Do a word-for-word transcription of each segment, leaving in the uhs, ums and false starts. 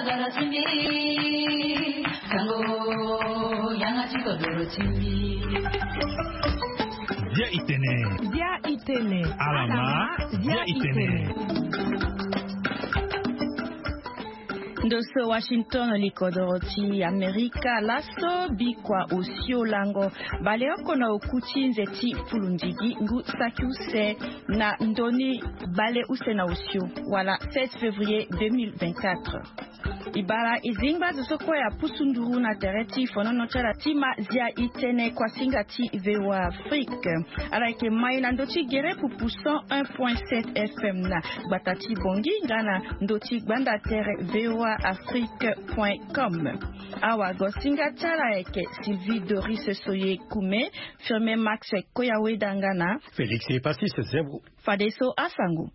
Bia itene. Bia itene. Alama. Bia itene. Ndo so Washington, likodoro ti Amerika, laso bikua osio lango baleoko na oku ti nze ti pulundigi ngu saki use na ndoni baleuse na osio, wala seize février deux mille vingt-quatre. E bara e zingba azo so kue apusu nduru na tere ti fonono ti ala ti ma Zia itene kuasinga ti V O A Afrique. Ala yeke mai na ndö ti gere pupu cent un point sept F M na gbata ti Bongi nga na ndö ti gbanda tere V O A Afrique point com. Awagosinga ti ala yeke Sylvie Doris Soye Kume, Firmin Max Koyaweda nga na Félix Epasis Zembro. Fadeso asango.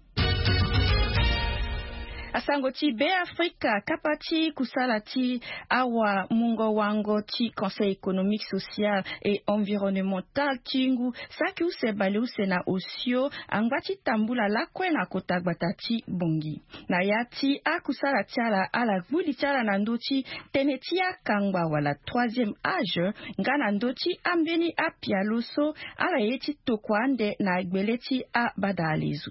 Asango ti Be Afrika, kapa ti kusala ti awamungo-wango ti Conseil économique, social et environnemental ti ngu saki use baleuse na osio angba ti tambula lakue na kota gbata ti Bongi. Na ya ti akusala ti ala, ala gbu li ti ala na ndö ti tënë ti akangba wala troisième âge, nga na ndö ti ambeni apialo so ala ye ti tokua ande na gbele ti abadalezo.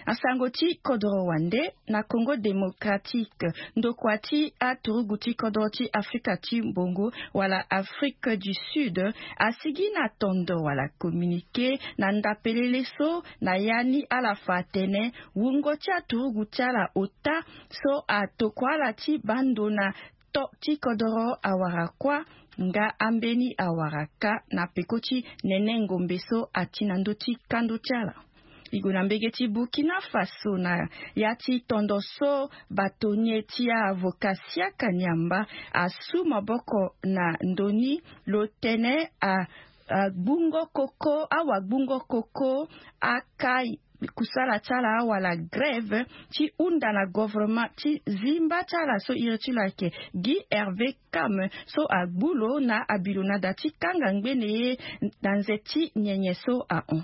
Asango ti kodoro wande. Na Congo Démocratique, ndokua ti aturugu ti kodoro ti Afrika ti Mbongo wala Afrique du Sud asigi na tondo wala communiqué na ndapelele so na ya ni ala fa atene wungo ti aturugu ti ala ota so atokua ala ti baa ndo na to ti kodoro awara kuâ nga ambeni awara kâ na peko ti nene ngombe so ati na ndö ti kando ti ala. E gue na mbege ti Burkina Faso na ya ti tondo so bâtonnier ti avocat Siaka Niamba asu maboko na ndö ni lo tene a, a gbungo koko, awagbungo koko aka kusala ti ala wala grève ti hunda na gouvernement ti zimba ti ala so iri ti lo ayeke Guy Hervé Kam so agbu lo na abi lo na da ti kanga ngbene ye na nze ti nyenye so ahon.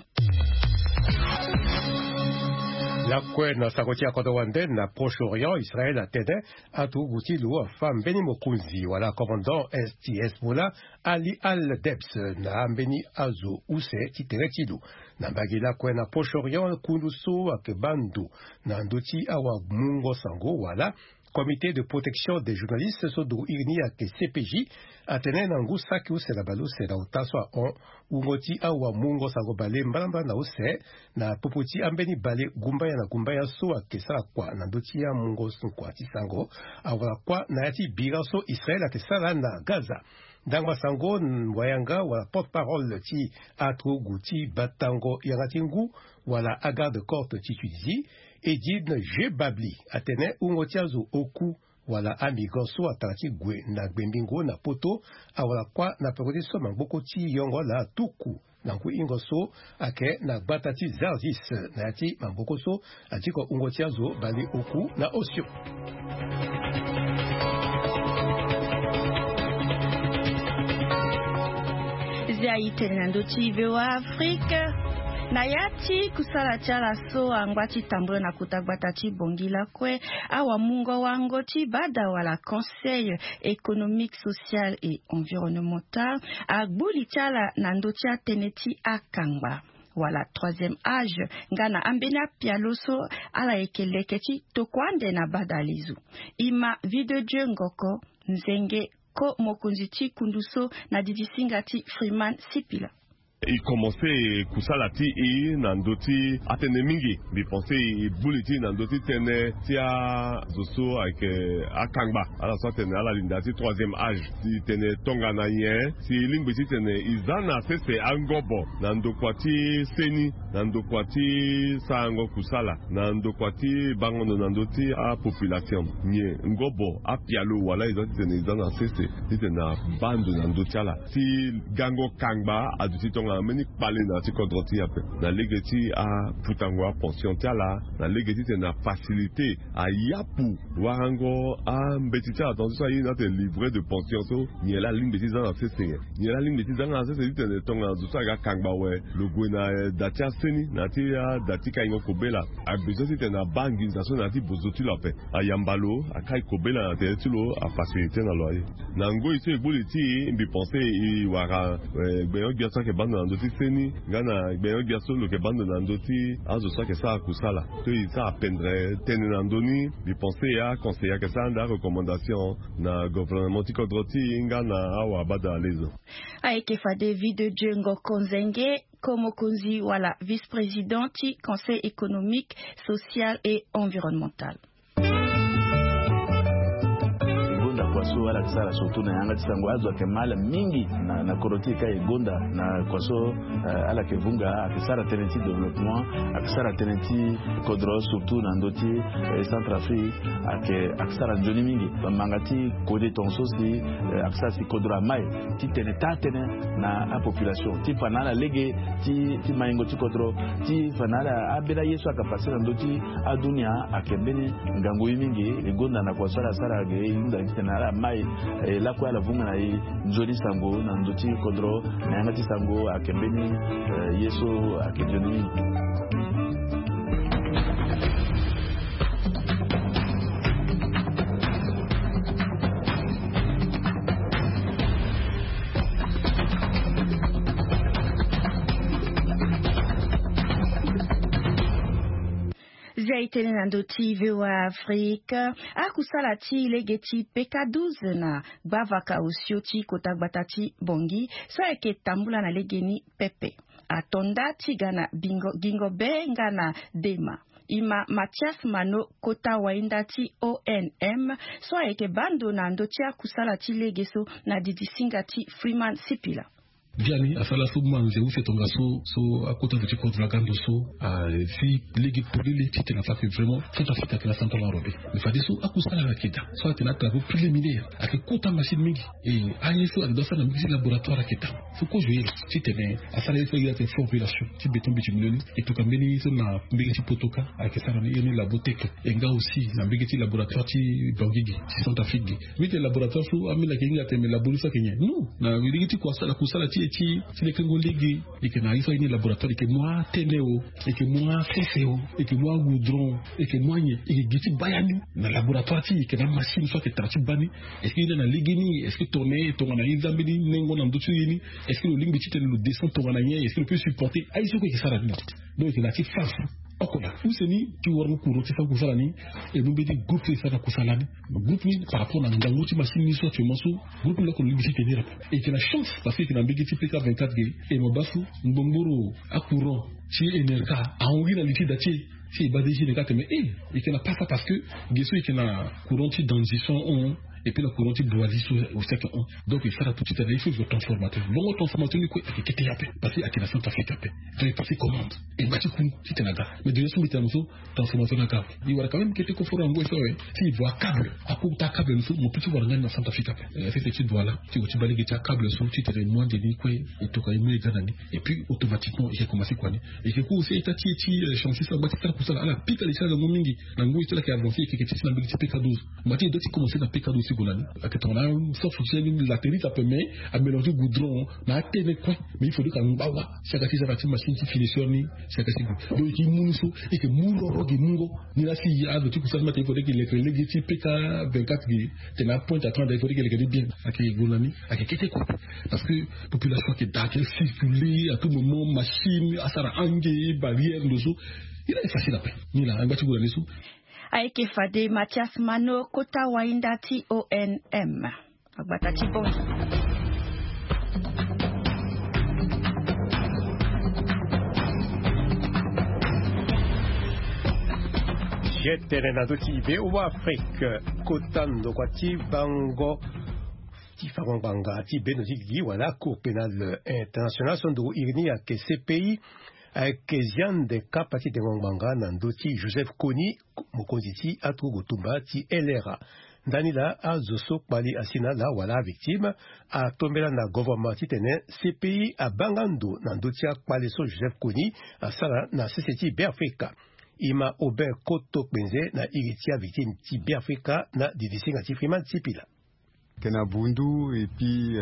Lakue na sango ti akodro wande, na Proche-Orient, Israël atene aturugu ti lo afa mbeni mokonzi wala commandant ti Hezbollah, Ali Al-Debs, na ambeni azo use ti tere ti lo. Na mbage lakue na Proche-Orient, kundu so ayeke baa ndo na ndö ti awamungo sango wala Comité de protection des journalistes so duru iri ni ayeke C P J, atene na ngu saki use na baleuse na ota so ahon, wungo ti awamungo sango bale mbalambala na use na popo ti ambeni bale gumbaya na gumbaya so ayeke sara kua na ndö ti amungo kua ti sango awara kua na ya ti bira so Israël ayeke sara na Gaza. Ndangba sango wayanga wala porte-parole ti aturugu ti batango yanga ti ngu wala agarde-corte ti Tunisie, Edine Jebabli, atene wungo ti azo oku wala amigrant so atara ti gue na gbengbingo na poto awara kua na peko ti so mangboko ti yongo ala atuku na ngu ingo so ayeke na gbata ti Zarzis na ya ti mangboko so. Atiko wungo ti azo bale oku na osio. Zia itene na ndö ti V O A Afrique. Na ya ti kusala ti ala so angba ti tambula na kota gbata ti Bongi lakue, awamungo wango ti bada wala Conseil économique, social et environnemental agbu li ti ala na ndö ti atënë ti akangba wala troisième âge nga na ambeni apialo so ala yeke leke ti tokua ande na badalezo. E ma Vie de Dieu Ngoko, nzenge ko mokonzi ti kundu so na didisinga ti Freeman Sipila. E komanse kusala ti e na ndö ti atënë mingi. Mbi pense e bu li ti e na ndö ti tënë ti azo so ayeke akangba, ala so atene ala linda ti troisième âge. Si tene tongana nyen si e lingbi ti tene e za na sese angobo na ndokua ti seni, na ndokua ti sarango kusala, na ndokua ti bango ndo na ndö ti apopulation? Nyen ngobo apialo wala e za ti tene e za na sese ti tene abaa ndo na ndö ti ala? Si gango kangba aduti tongana mbeni kpale na ya ti kodro ti e ape na lege ti aputango apension ti ala, na lege ti tene afacilité ayapu warango ambeti ti ala, tongaso so aye ni atene livret de pension so. Nyen laa alingbi ti za na sese nyen? Nyen laa alingbi ti za na sese ti tene tongana zo so aga kangba awe, lo gue na eh, da ti ase Ni na ya ti ada ti kaingo kobela, abezoin titene abaa nginza so na ya ti bozo ti lo ape. Ayamba lo, akai kobela na tere ti lo, afacilité na lo aye. Na ngoi so e gbu li ti e, mbi pense e wara, eh, gbenyo-gbia so ayeke baa ndo na ndö ti seni nga na gbenyo-gbia so lo yeke baa ndo na ndö ti azo so ayeke sara kusala. So e sara pendre tënë na ndö ni, mbi pense aconseiller ayeke sara ande arecommandation na gouvernement ti kodro ti e nga na awabadalezo. Ayeke fade Vie de Dieu Ngoko Nzenge, ko mokonzi wala vice-président ti Conseil économique, social et environnemental. E gonda kua so ala yeke sara surtout na yanga ti sango, azo ayeke mal mingi na, na kodro ti e ka e gonda na kua so, eh, ala yeke vunga, ayeke sara tënë ti développement, ayeke sara tënë ti kodro surtout na ndö ti, eh, Centrafrique, ayeke, ayeke sara nzoni mingi. Bamanga ti kode tongaso si, eh, ayeke sara si kodro amai ti tene taa tënë na apopulation ti fa na ala lege ti, ti maingo ti kodro, ti fa na ala ambeni aye so ayeke pase na ndö ti adunia. Ayeke mbeni ngangu ye mingi. E gonda na kua so ala sara ge, e hunda titene ala mai, eh, lakue ala vunga na e nzoni sango na ndö ti kodro. Na yanga ti sango ayeke mbeni, eh, ye so ayeke nzoni mingi. Zia e tene na ndö ti V O A Afrique, akusala ti lege ti P K douze na gbavaka osio ti kota gbata ti Bangui so ayeke tambula na legeni pepe. Ato nda ti ga na Bingo, Gingobe nga na Dema. E ma Mathias Mano, kota wainda ti O N M, so ayeke baa ndo na ndö ti akusala ti lege so na didisinga ti Freeman Sipila. Biani asara so manze use tongaso, so akota ndo ti kodro aga ndo so, ah, si lege polele titene afa ke vraiment Centrafrique ayeke na central enrobé. Mais fadeso akusala ayeke daa so ayeke na atravaux préliminaire, ayeke kota machine mingi. E aye so ayeke doit sara na mbege ti laboratoire ayeke daa. So kozo ye titene asara ye so ayeke formulation ti béton bitumineux ni. E tokua mbeni ye so na mbege ti Potoka ayeke sara ni, ye ni Labotech. E nga aussi na mbege ti laboratoire ti Bangui ge, ti Centrafrique ge. Mbi tene laboratoire so ambeni ayeke hinga tene me labo ni so ayeke nyen? Non. Na mbege ti kua sala, kusala ti e ti, ti lekengo lege. E yeke na ye so aye ni laboratoire, e yeke mu atënë o, e yeke mu asese o, e yeke mu agoudron, e yeke mu anyen, e yeke gi ti baa ya ni. Na laboratoire ti e, e yeke na amachine so ayeke tara ti baa ni. Est-ce que e na na legeni? Est-ce que tongana e tongana e za mbeni nengo na ndö ti ye ni? Est-ce que lo lingbi titene lo descend tongana nyen? Est-ce que lo peut supporter? Aye so kue e yeke sara ni na tete. Donc e yeke na ya ti phase oko daa. Use ni ti warango courant ti fa kusala ni, e mu mbeni groupe so e sara na kusala ni. Groupe ni par rapport na ngangu ti machine ni so actuellement so, groupe ni lo oko lo lingbi ti tenir ape. E yeke na chance parce que e yeke na mbege ti P K vingt-quatre ge. E mo baa so ngbongboro acourant ti Enerca ahon gi na li ti da ti e. Si e baa D G ni ka tene e, e yeke na pasa parce que ge so e yeke na courant ti Danzi so ahon, et puis na courant ti Boizi so aussi ayeke hon. Donc e sara tout titene il faut e zo transformateur. Bongo transformateur ni kue ayeke kete ye ape parce que ayeke na Centrafrique ape. Donc e pase commande, e ma ti ku titene aga. Mais de so mbi tene na mo so, transformateur ni aga. E wara quand même kete koforo na ngoi so awe. Si e vo acable, akota acable ni so mo peut ti wara nga ni na Centrafrique ape. Eh, sese ti Douala ti gue ti baa lege ti acable so titene e mu ande ni kue, e tokua e mu e ga na ni. Et puis automatiquement e yeke commencer kua ni. E yeke ku aussi état ti e ti, eh, chantier so agba ti sara kusala, ala pika li ti ala ngangu mingi. Na ngoi ti ala yeke avancer, e yeke ti na mbege ti P K douze. Mbi ti e doit ti commencer na P K douze ti gue na ni. Ayeke tongana so fonctionnaire ni latérite ape mais amélange goudron na atënë kue. Mais il faudrait que angba wa si aga ti sara ti machine ti finisseur ni, si aga ti gue. Donc e yeke mu ni so, e yeke mu roro ge mungo. Ni la si azo ti kusala ni mbi atene il faudrait que e leke lege ti P K vingt-quatre ge, tene apointe à trente, il faudrait que e leke ni bien. Ayeke gue na ni, ayeke kete kue. Parce que population ayeke daa, ayeke circuler à tout moment, machine asara ange, barrière ndo so. E la e facile ape. Ni la angba ti gue na ni so. Ayeke fade Mathias Mano, kota wainda ti O N M. Agbata ti Bongi. Ye tene na ndö ti V O A Afrique, kota ndokua ti bango ti fango ngbanga ti bendo ti gigi wala Cour pénale internationale so nduru iri ni ayeke C P I, ayeke zia ande kapa ti dengo ngbanga na ndö ti Joseph Kony, mokonzi ti aturugu tumba ti L R A. Ndani laa azo so kpali asi na ala wala avictime atombela na gouvernement titene C P I abaa nga ndo na ndö ti akpale so Joseph Kony asara na sese ti Beafrika. E ma Aubin Koto Kpenze na iri ti avictime ti Beafrika na didisinga ti Freeman Sipila. Ayeke na bundu epui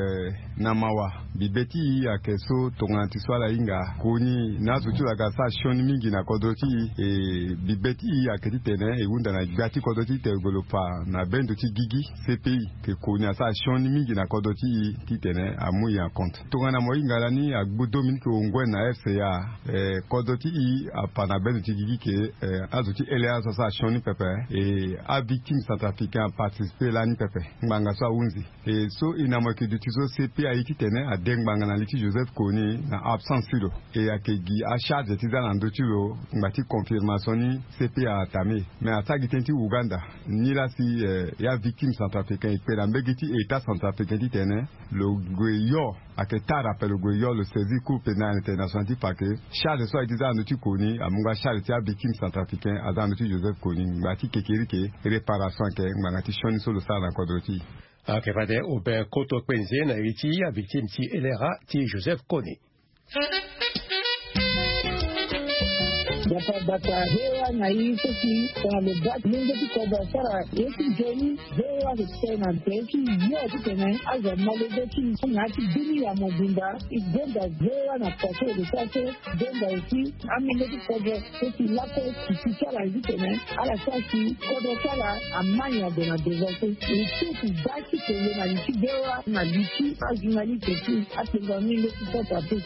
na mawa. Bibe ti e ayeke so tongana ti so ala hinga koni na azo ti lo aga asara sioni mingi na kodro ti e. E bibe ti e ayeke titene e hunda na gbia ti kodro ti tene golopa na bendo ti gigi. Cpi ke koni asara sioni mingi na kodro ti e titene amu e en compte. Tongana mo hinga lani agbu dominique onguen na fca, kodro ti e apa na bendo ti gigi ke azo ti ele azo asara sioni pepe. E avictime centrafricain aparticipe lani pepe. Ngbanga so ahunzi. E so e na mo yeke duti so cpi aye titene ade ngbanga na li ti joseph koni na absence ti lo. E ayeke gi acharge ti za na ndö ti lo ngba ti confirmation ni. Cpi atame mais asara gi tënë ti uganda. Nilaa si ya victime centrafricain e kpe na mbege ti état centrafricain titene lo gue yo. Ayeke tara ape lo gue yo lo saisir cour pénale international ti fa ke charge so aye ti za na ndö ti koni amu nga charge ti avictime centrafricain aza na ndö ti joseph koni ngba ti kekerike. Réparation ayeke ngbanga ti sioni so lo sara na kodro ti e. Ayeke fade obe koto kpenze na iri ti avictime ti elera ti joseph koni. Bata bata hewa na i so si tongana lo baa ti lenge ti kodro asara ye ti nzoni. Hewa ke tene na ntere ti yo titene azo amolenge ti na ya ti bini ya mobimba. E gonda hewa na paso lo sara so. Gonda aussi amolenge ti kodro so si laso si ti ti ala ye titene ala sara si kodro ti ala ama nyango na devant so. E so si baa ti kele na li ti hewa na li ti ajournaliste ti apenza mingi ti sasa te.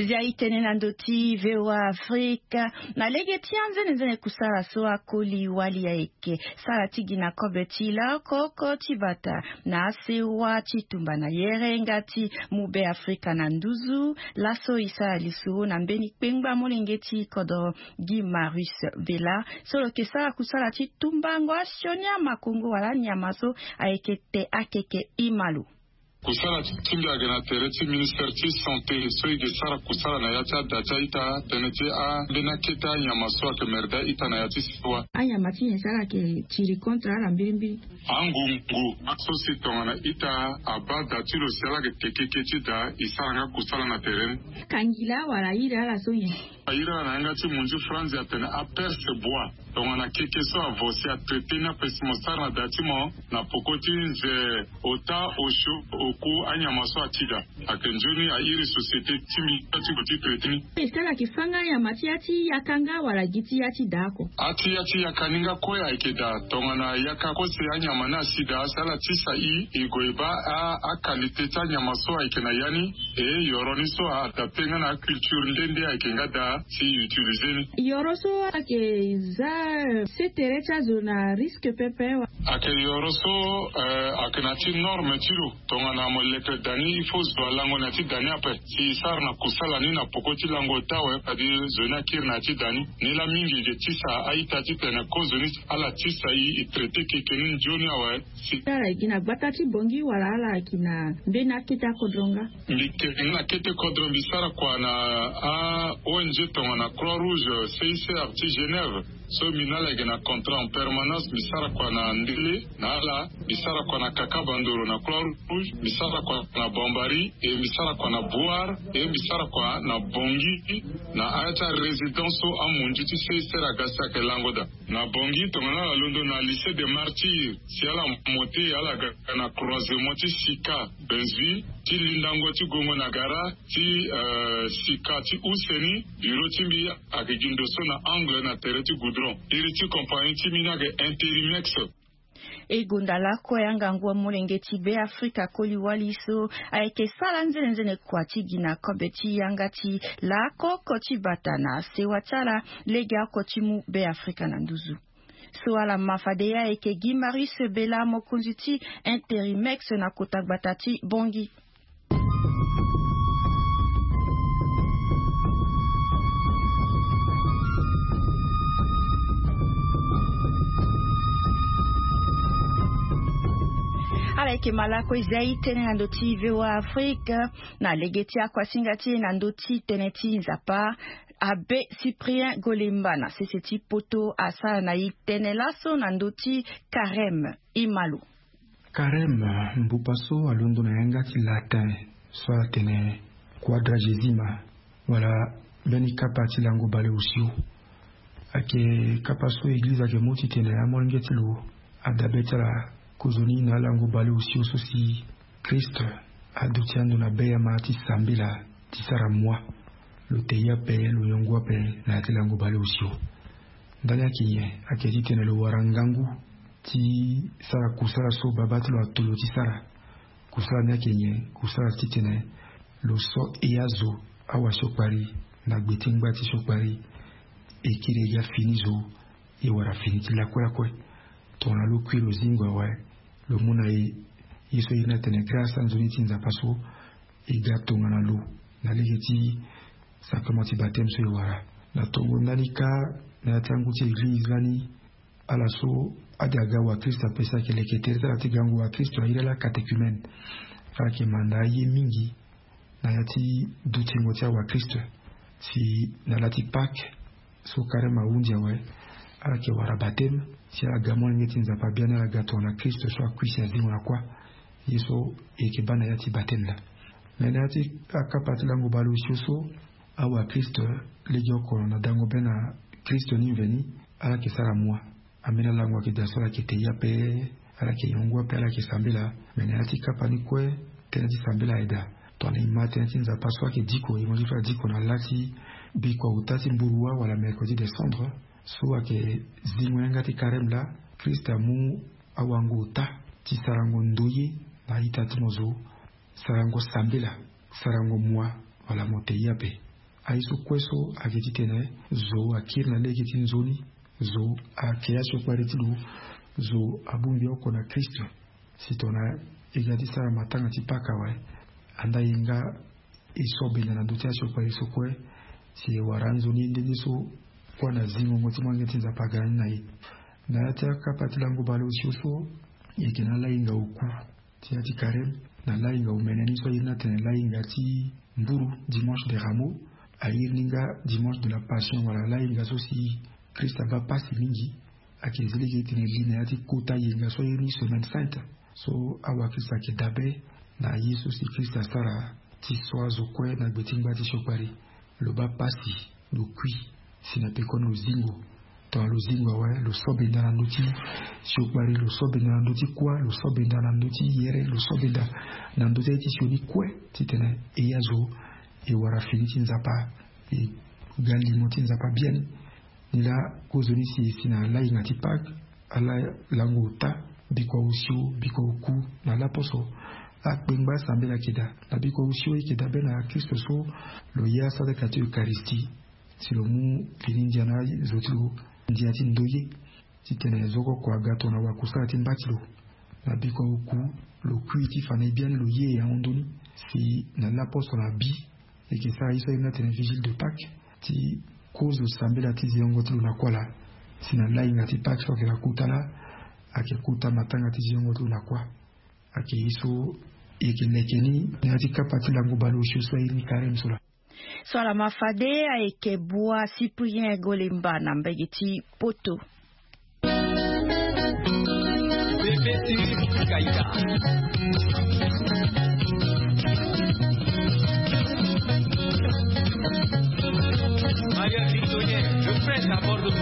Zia itene na ndo ti voa afrika. Na lege ti anzenenzene kusala so akoli wali ayeke sara ti gi na kobe ti laoko oko ti bata na asewa ti tumba na yere nga ti mu be afrika na nduzu. Laso e sara lisoro na mbeni kpengba molenge ti kodro gi marius vela so lo yeke sara kusala ti tumbango asioni amakongo wala anyama so ayeke te akeke ima lo. Kusala ti mbi ayeke na tere ti ministere ti santé so e ke sara kusala na ya ti ada ti a-ita tënë ti ambeni akete anyama so ayeke merda a-ita na ya ti siwa. Anyama ti nyen so ala yeke tiri contre ala mbirimbiri? Angungu aso si tongana ita abaa da ti lo si ala yeke te keke ti da e sara nga kusala na tere ni. Akangila wala airi ala so nyen? Airi ala na yanga ti munzi franzi atene aperce bois. Tongana keke so avo si atraite ni ape si mo sara na da ti mo na poko ti nze ota osio oku anyama so ati da. Ayeke nzoni airi société ti mbi ti gue ti traite ni. Ese ala yeke fâ nga anyama ti ya ti yaka nga wala gi ti ya ti da oko? A ti ya ti yaka ni nga kue ayeke daa tongana yaka kue si anyama ni asi daa si ala tisa i e gue e baa a akalité ti anyama so ayeke na ya ni. E yoro ni so a adapte nga na aculture nde nde ayeke nga daa si e utilize ni. Yoro so ayeke za se tere ti azo na risque pepe wa? Ayeke yoro so ayeke na ya ti norme ti lo. Tongana mo leke da ni il faut zo alango na ya ti da ni ape si e sara na kusala ni na poko ti lango ota awe fade zo ni akiri na ya ti da ni. Ni laa mingi e ke tisa a-ita titene kozo ni ala tisa e e traite keke ni nzoni awe. Si ala yeke gi na gbata ti bongi wala ala yeke gi na mbeni akete akodro nga? Mbi yeke gi na kete kodro mbi sara kua na a-ong tongana croix rouge cicr ti genève. So mbi na ala yeke na contrat en permanence mbi sara kua na ndele na ala. Mbi sara kua na kaka bandoro na croix rouge mbi sara kua na bambari e mbi sara kua na boire e mbi sara kua na bongi. Na aya ti arésidence so amonzi ti cicr aga si ayeke lango daa. Na bongi tongana ala londo na lycée de martyre si ala mote ala ga na croisement ti sika benzeville ti lindango ti gongo na gara ti sika ti use ni. Biro ti mbi ayeke gi ndo so na angle na tere ti goudron. Iri ti compagnie ti mbi ni ayeke interimex. E gonda lakue angangu amolenge ti be afrika koli wali so ayeke sara nzenenzene kua ti gi na kobe ti yanga ti laoko oko ti bata na sewa ti ala. Lege oko ti mu be afrika na nduzu. So ala ma fade ye ayeke gi marius bela mokonzi ti interimex na kota gbata ti bongi. Ala yeke malako ezia itene na ndo ti voa afrika. Na lege ti akuasinga ti e na ndo ti tënë ti nzapa abe cyprien golemba na sese ti poto asara na e tënë laso na ndö ti karem. Imalo. Karem mbupa so alondo na yanga ti latin so atene quadragesima wala mbeni kapa ti lango baleosio. Ayeke kapa so eglize ayeke mu titene amolenge ti lo adabe ti ala kozoni na alango baleosio so si Christ aduti ando na be ya ma ti sambela ti sara moi. Lo te ye ape, lo yongu ape na ya ti lango baleosio. Ndani ayeke nyen? Ayeke titene lo wara ngangu ti sara kusala so baba ti lo ato lo ti sara. Kusala ni ayeke nyen? Kusala titene lo so e azo, awasiokpari na gbe ti ngba ti siokpari, e kiri e ga fini zo, e wara fini ti lakue lakue. Tongana lo kui lo zingo awe, lo mu na e ye so e iri ni atene grâce anzoni ti Nzapa so e ga tongana lo na lege ti sacrement ti baptême so e wara. Na tongo ndani kâ, na ya ti angu ti eglize lani, ala so ade aga wakristo ape si ayeke leke tere ti ala ti gango wakristo, a iri ala catéchumène. Ala yeke manda aye mingi na ya ti dutingo ti awakristo. Si na la ti Pâques so karême ahunzi awe, ala yeke wara baptême si ala ga molenge ti Nzapa biani, ala ga tongana Kristo so akui si azingo na kuâ. Ye so e yeke baa na ya ti baptême laa. Me na ya ti akapa ti lango baleosio so, awakristo, legeoko na dango be na Kristo ni mveni, ala yeke sara moi. Ambeni alango ayeke daa so ala yeke te ye ape, ala yeke yongu ape, ala yeke sambela. Me na ya ti kapa ni kue, tënë ti sambela ayeke daa. Tongana e ma tënë ti Nzapa so ayeke diko, e mo ti so adiko na la ti bikua ota ti mburu wâ wala mercredi des cendres, so ayeke zingo yanga ti karême laa, Kristo amu awango ota ti sarango ndoye na a-ita ti mo zo, sarango sambela, sarango moi, wala mo te ye ape. Aye so kue so ayeke titene zo akiri na lege ti nzoni, zo ake asiokpari ti lo, zo abongbi oko na Kristo. Si tongana e ga ti sara matanga ti Pâques awe, andaa e nga e so benda na ndö ti asiokpari so kue, si e wara anzoni nde nde so kuâ na zingongo ti molenge ti Nzapa aga ni na e. Na ya ti akapa ti lango baleosio so, e yeke na lahinga oku ti ya ti karême, na lahinga omene ni so a iri ni atene lahinga ti mburu, dimanche de Rameaux, a iri ni nga dimanche de la Passion, wala lahinga so si Kristo abaa pasi mingi. Ayeke zi lege ti tene e li na ya ti kota yenga so a iri ni semaine sainte. So awakristo ayeke dabe na ye so si Kristo asara ti so azo kue na gbe ti ngba ti siokpari. Lo baa pasi, lo kui, si na pekoni lo zingo. Tongana lo zingo awe, lo so benda na ndö ti siokpari, lo so benda na ndö ti kuâ, lo so benda na ndö ti yere, lo so benda na ndö ti aye ti sioni kue, titene e azo e wara fini ti Nzapa, e ga limo ti Nzapa biani. Ni laa kozoni si e si na lahinga ti Pâques, ala lango ota, bikua osio, bikua oku, na laposo, akpengba asambela ayeke daa. Na bikua osio e yeke dabe na Kristo so lo ya asara ka ti Eucharistie, si lo mu fini ndia na azo ti lo, ndia ti ndoye, titene zo oko aga tongana wakusala ti mba ti lo. Na bikua oku, lo kui ti fa na e biani, lo ye ahon ndoni. Si na laposo na bi, e yeke sara ye so a iri ni atene vigile de Pâques, ti kozo sambela ti ziongo ti lo na kuâ laa. Si na lahinga ti Pâques so ayeke na kota laa, ayeke kota matanga ti ziongo ti lo na kuâ. Ayeke ye so e yeke leke ni na ya ti kapa ti lango baleosio so a iri ni karême so laa. So ala ma fade ayeke Bua Cyprien Golemba na mbage ti Poto. Bébé Siri Kaita. Maria Victorien, le prince à Bordeaux.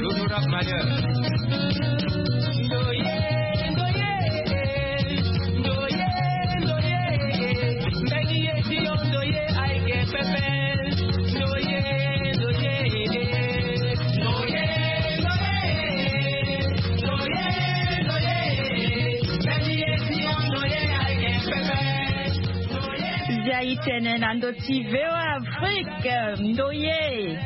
L'honorable Maria. Zia itene na ndö ti V O A Afrique, ndoye.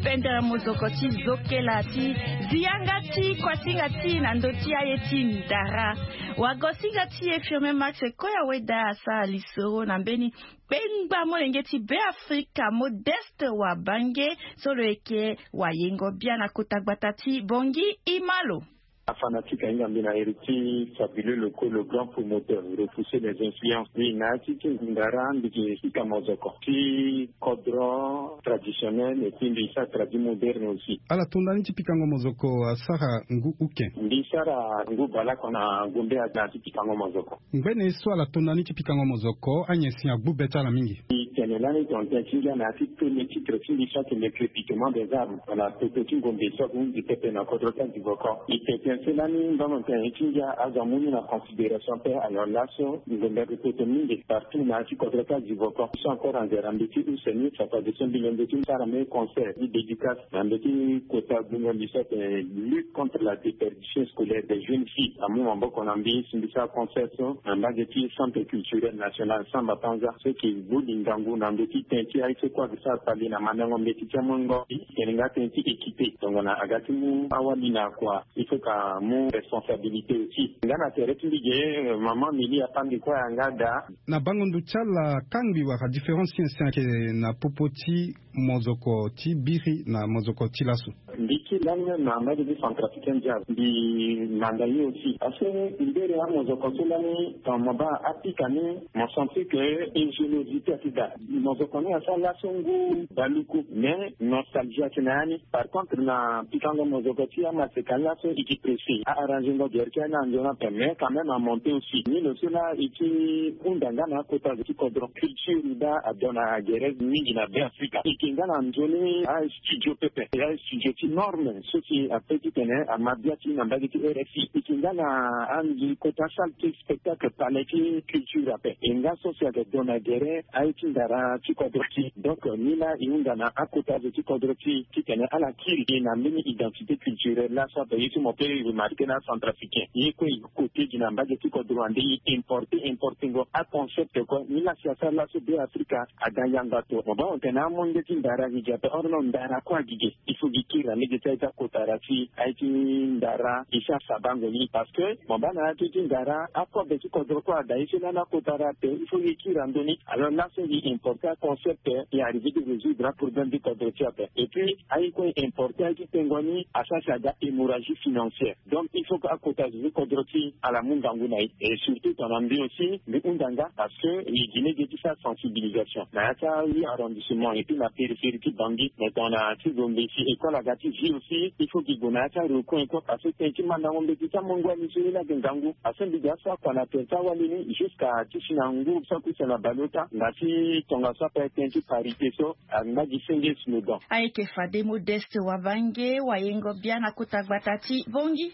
Pendere mozoko ti zokela ti zi yanga ti kuasinga ti na ndö ti aye ti ndara. Wagosinga ti e Firmin Max Koya Weda asara lisoro na mbeni kpengba molenge ti Beafrika Modeste Wabange, so lo yeke wayengo bia na kota gbata ti Bongi Imalo. Afanatique ahinga mbi na héritier fabuleux locaux, le grand promoteur, repousser les influences. Mbi na ya ti ti ndara mbi yeke pika mozoko ti kodro traditionnel et puis mbi sara tradi moderne aussi. Ala to ndani ti pikango mozoko asara ngu uke. Mbi sara ngu baleoko na gombe na ti pikango mozoko. Ngbene so ala to ndani ti pikango mozoko anyen si agbu be ti ala mingi. Tene lani tongana tene ti ngia na ya ti premier titre ti mbi so atene le crépitement des armes, tongana popo ti ngombe so ahunzi pepe na kodro ti adivoko. E tene tene so lani mbamanten ti ngia azo amu ni na considération ape. Alors laso ngombe ague poto mingi partout na ya ti kodro ti adivoko. So encore anzere na mbeti use ni fapade so mbi lembe ti sara me concert ti dédicace na mbeti kota gbungo mbi so atene lutte contre la déperdition scolaire des jeunes filles. Amu maboko na mbi si mbi sara concert so na mbage ti centre culturel national Samba Panza so eke boli ngangu na ndö ti tënë ti aye so kue ake sara kpale na mandango mbeti ti amongo. Tene nga tënë ti équipé tongana aga ti mu awali na kua. Il faut ka mu responsabilité aussi. Nga na tere ti mbi ge, maman Mili apande kue yanga da. Na bango ndo ti ala kangbi wala différence ti nyen si ayeke na popo ti mozoko ti biri na mozoko ti laso? Mbi kiri lani même na mbage ti centrafricain jazz mbi manda ye aussi parce que mbere amozoko so lani tongana mo baa apika ni mo sentir que ingéniosité ati daa. Mozoko ni asara laso ngu baluku mais nostalgie ati na ya ni. Par contre na pikango mozoko ti amaseka laso e ke pressé a arranger ngo gere ti ya ni na nzoni ape mais quand même amonté aussi ni lo so laa e ke hunda nga na akota zo ti kodro. Culture daa adona gere mingi na be afrika e ke nga na nzoni astudio pepe astudio ti norme so si ape titene ama bia ti na mbage ti rfi e ke nga na anzi kota salle ti spectacle palais ti culture ape e nga so si ayeke dona gere aye ti ndara ti kodro ti. Donc ni laa e hunda na akota zo ti kodro ti titene ala kiri e na mbeni identité culturelle laa so ape ye so mo pe remarqué na acentrafricain ye kue e kote gi na mbage ti kodro ande e importe importengo aconcept kue ni laa si asara laso be afrika. Aga yanga to mo baa mo tene amonge ti ndara gi gi ape or non ndara kue agi ge. Il faut gi kiri na lege ti aye ti akotara ti aye ti ndara e si asabango ni parce que mo baa na ya ti ti ndara akobe ti kodro kue ada ye so lani akotara ape il faut gi kiri na ndö ni. Alors laso gi importe aconcept e arrivé ti résoudre aproblème ti kodro ti ape et puis aye kue importe aye ti tengo ni asara si aga hémorragie financière. Donc il faut que akota zo ti kodro ti ala mu ngangu na e et surtout tongana mbi aussi mbi hunda nga parce que e gi lege ti sara sensibilisation na ya ti ahuit arrondissement et puis na périphérie ti bangui mais tongana ti gombe si école aga ti vie aussi il faut gi gue na ya ti arecoin kue parce que tënë ti mandango mbeti ti amongo ani so ye laa ayeke ngangu parce que mbi gi aso akua na tere ti awali ni jusqu'à ti si na nguru so akuse na baleota na ti tongaso ape tënë ti parité so angba gi senge slogan. Ayeke fade modeste wabange wayengo bia na kota gbata ti bongi.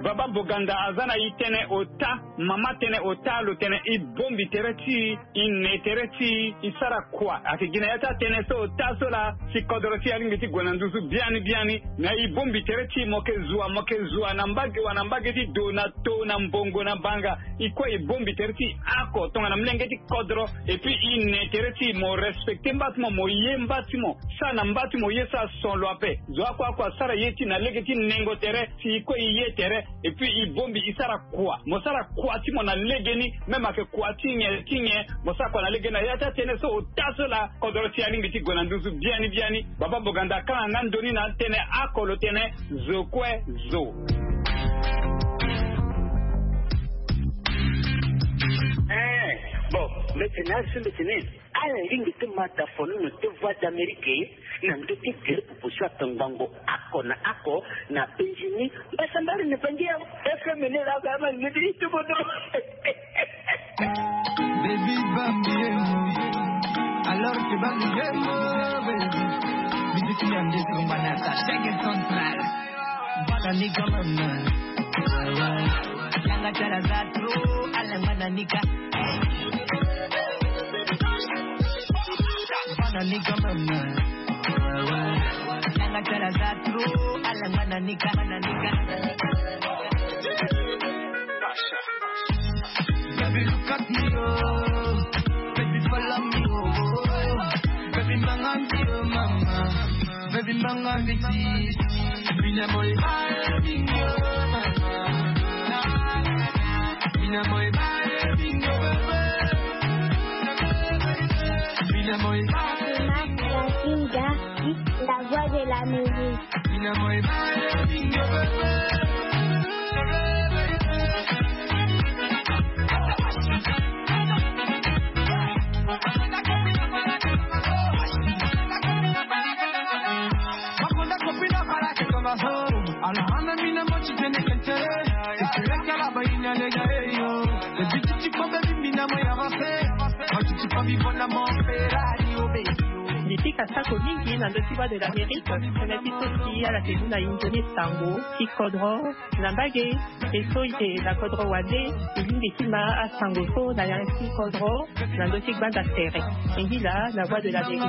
Baba boganda aza na e tënë ota mama tënë ota lo tene e bombi tere ti e e ne tere ti e e sara kua ayeke gi na ya ti atënë so ota so laa si kodro ti e alingbi ti gue na nduzu biani biani. Na e bombi tere ti e mo yeke zua mo yeke zua na mbage wa na mbage ti do na to na mbongo na banga. E kue e bombi tere ti e ako tongana molenge ti kodro. Et puis e ne tere ti e mo respecte mba ti mo mo ye mba ti mo sara na mba ti mo ye so ason lo ape. Zo oko oko asara ye ti e na lege ti nengo tere si e kue e ye tere. Et puis e bombi e sara kua mo sara kua ti mo na legeni. Même ayeke kua ti nyen ti nyen mo sara kua na legeni na ya ti atënë so ota so laa kodro ti e alingbi ti gue na nduzu biani biani. Baba boganda akanga nga ndoni na atënë ako lo tene zo kue zo. Eh, bon, mete na azo mete ni. Ala lingbi ti ma dafono na te voix d'amérique na ndö ti gere popo so atongbango ako na ako na penzi ni. Mbasa mbari na bangi ya fm ne la ga ma ngedi ito bodo. Baby bambi emo. Alors que bambi emo, baby. Bisiti ya ndesi kumbana sa shege central. Bana ni kamama. Yanga tala za tro ala mana nika. Bana nika mama. Nanga tala za tro ala mana nika mana nika. Baby look at me oh. Baby follow me oh. Baby manga me oh mama. Baby manga me this. Mina boy bye bingo mama. Mina boy bye bingo bebe. Mina boy bye bingo. Inga, la voix de la musique. Mina boy bye bingo bebe. Makonda kopina para ke toma so. Ala hana mina mochi tene kentere. Espera que la vaina le gare yo. Mbi pika sako mingi na ndö ti Voix de l'Amérique, tënë ti so si ala ke mu na inzo ni sango ti kodro na mbage. E so e na kodro wande, e lingbi ti ma asango so na yanga ti kodro na ndö ti gbanda tere. E ngi laa na Voix de l'Amérique.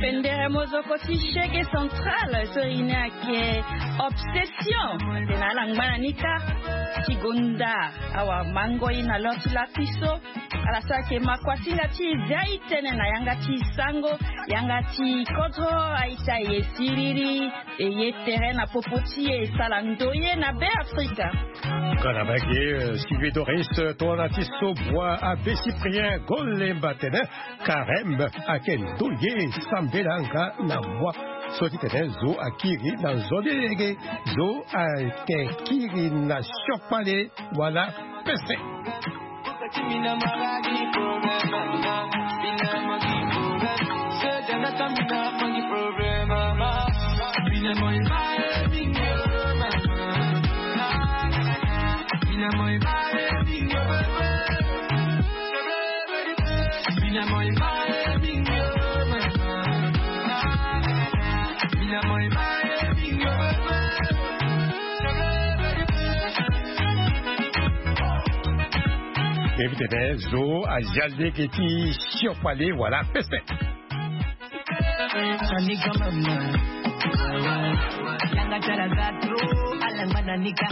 Pendere mozoko ti Shege Central so e ne ayeke Obsession. Tena ala ngba na ni kâ ti gonda awa mango ye na lor ti lapiso. Ala so ayeke makuasinga ti e zia e tene na yanga ti e sango, yanga ti kodro, a-ita e siriri, e ye tere na popo ti e e sara ndoye na Beafrika. Nga na mbage, eh, Sylvie Doris, eh, tongana ti so bua Abbé Cyprien Golemba tene, Carême ayeke ndoye sambela nga na moi. So ti tene zo akiri na nzoni lege, zo ayeke kiri na siokpale wala pese. Mbi tene zo azia lege ti siokpale wala pese. Nani quand même. Yanga ti ala za trop, ala ngba na ni kâ.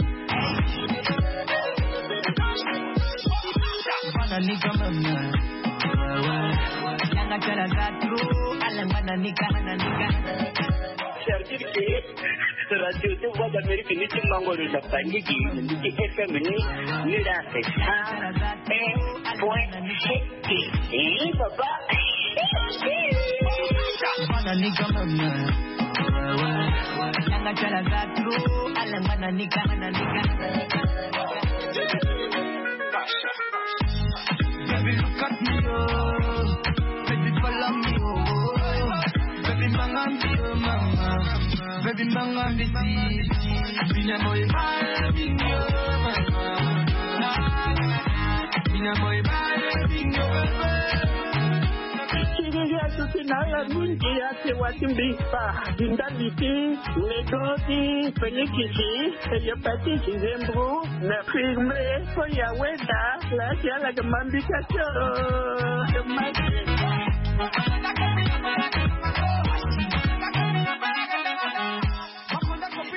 Nani quand même. Yanga ti ala za trop, ala ngba na ni kâ, na ni kâ. C'est-à-dire que radio ti Voix d'Amérique ni ti mango lo na Banigi, ni ti F M ni, ni la c'est cent un point sept. Eh, papa. Bana ni quand même. Yanga ti ala za trop, ala ngba na ni kâ, na ni kâ. Baby, look at me, oh. Baby, follow me, oh. Baby, manga me, oh, mama. Baby, manga me, see. Bina boy, bye, bingo, mama. Bina boy, bye, bingo, baby. Siriri asuti na ala mingi ate wa ti mbi kpa. Di ndali ti Nego ti Félix ti hépatite zembro na firme so ya weda la ti ala ke mambika tio.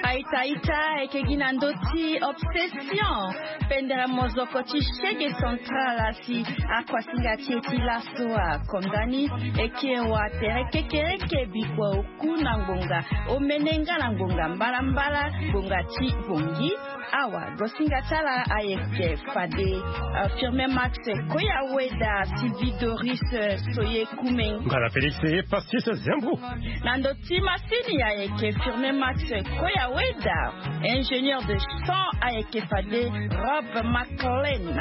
Aita aita, e ke gi na ndö ti Obsession. Pendere mozoko ti Shege Central asi akuasinga ti e ti laso akonda ni. E ke wa tere kekereke bikua oku na ngbonga omene nga na ngbonga mbalambala, ngbonga ti bongi. Awa gosinga ti ala ayeke fade, euh, Firmin Max Koya Weda, Sylvie Doris, euh, Soye Kumeng. Nga na Félix Pastis Zembro. Na ndö ti masini ayeke Firmin Max Koya Weda. Ingénieur de son ayeke fade Rob McLean.